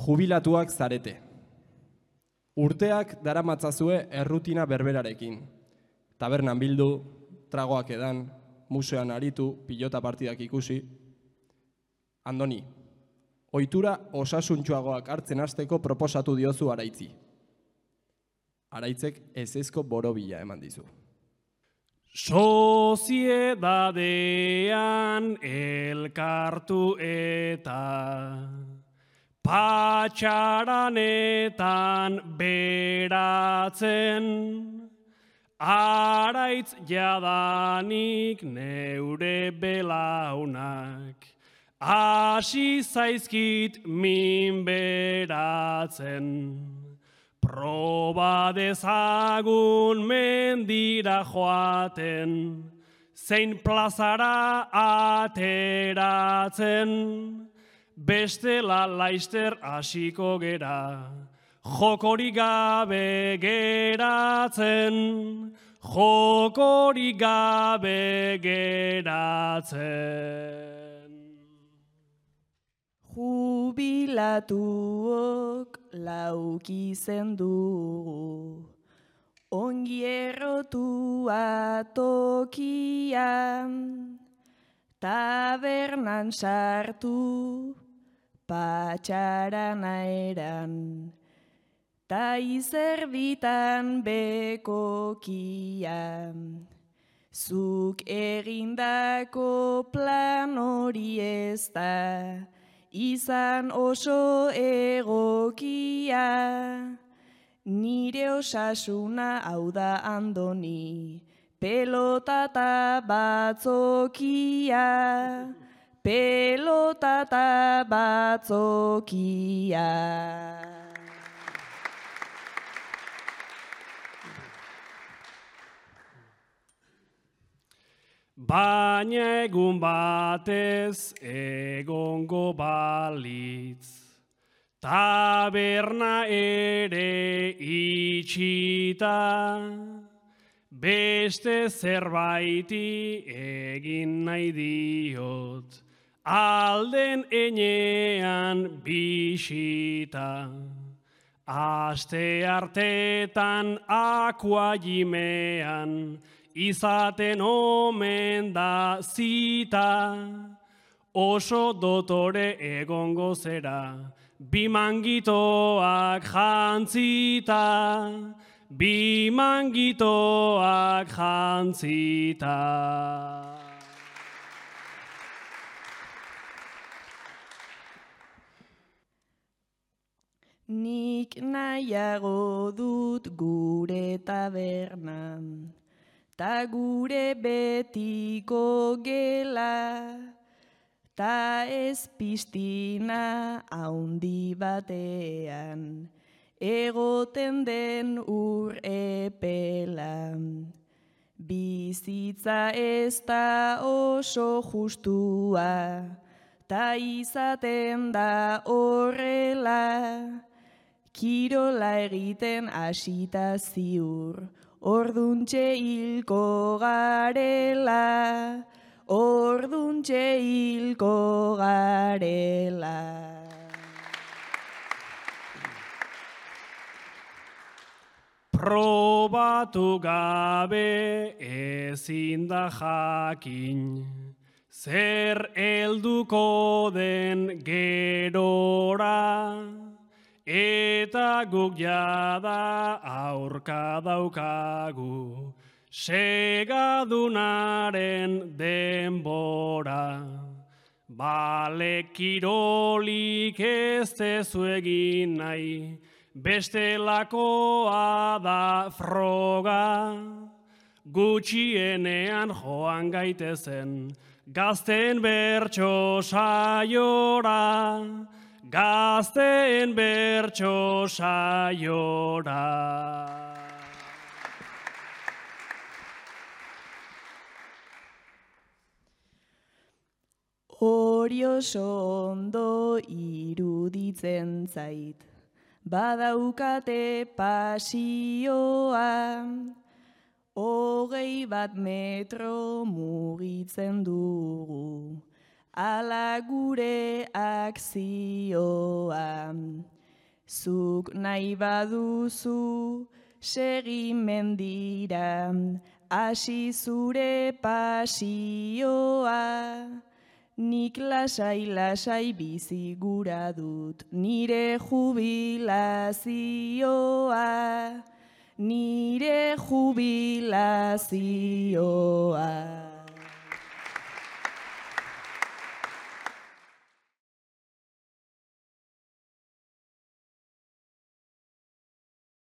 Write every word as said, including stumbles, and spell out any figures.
jubilatuak zarete. Urteak daramatzazue errutina berberarekin. Tabernan bildu, tragoak edan, museoan aritu, pilota partidak ikusi. Andoni, ohitura osasuntsuagoak hartzen hasteko proposatu diozu Araitzi. Araitzek ezezko borobila eman dizu. Soziedadean elkartu eta patxaranetan beratzen, Araitz jadanik neure belaunak, hasi zaizkit min beratzen. Proba dezagun mendira joaten, zein plazara ateratzen, bestela laister hasiko gera, jokori gabe geratzen, jokori gabe geratzen. Jubilatuok lauki zendugu, ongi errotua tokian, tabernan sartu, patxarana eran, ta izerditan bekokian. Zuk egindako plan hori ez da, izan oso egokia, nire osasuna hau da Andoni, pelotata batzokia, pelotata batzokia. Baina egun batez egongo balitz, taberna ere itxita, beste zerbaiti egin nahi diot, alden enean bisita. Aste artetan akuajimean, izaten omen da zita, oso dotore egongo zera, bi mangitoak jantzita, bi mangitoak jantzita. Nik nahiago dut gure tabernan, ta gure betiko gela, ta ez piztina haundi batean, egoten den ur epela. Bizitza ez da oso justua, ta izaten da horrela, kirola egiten hasita ziur, orduntxe hilko garela, orduntxe hilko garela. Probatu gabe ezin da jakin, zer helduko den gerora, eta guk jada aurka daukagu, segadunaren denbora. Bale kirolik ez dezu egin nahi, bestelakoa da froga, gutxienean joan gaitezen, gazten bertso saiora, gazten bertso saiora. Hori oso ondo iruditzen zait, badaukate pasioa, hogei bat metro mugitzen dugu, ala gure akzioa. Zuk nahi baduzu segi mendira, hasi zure pasioa. Nik lasai-lasai bizi gura dut nire jubilazioa, nire jubilazioa.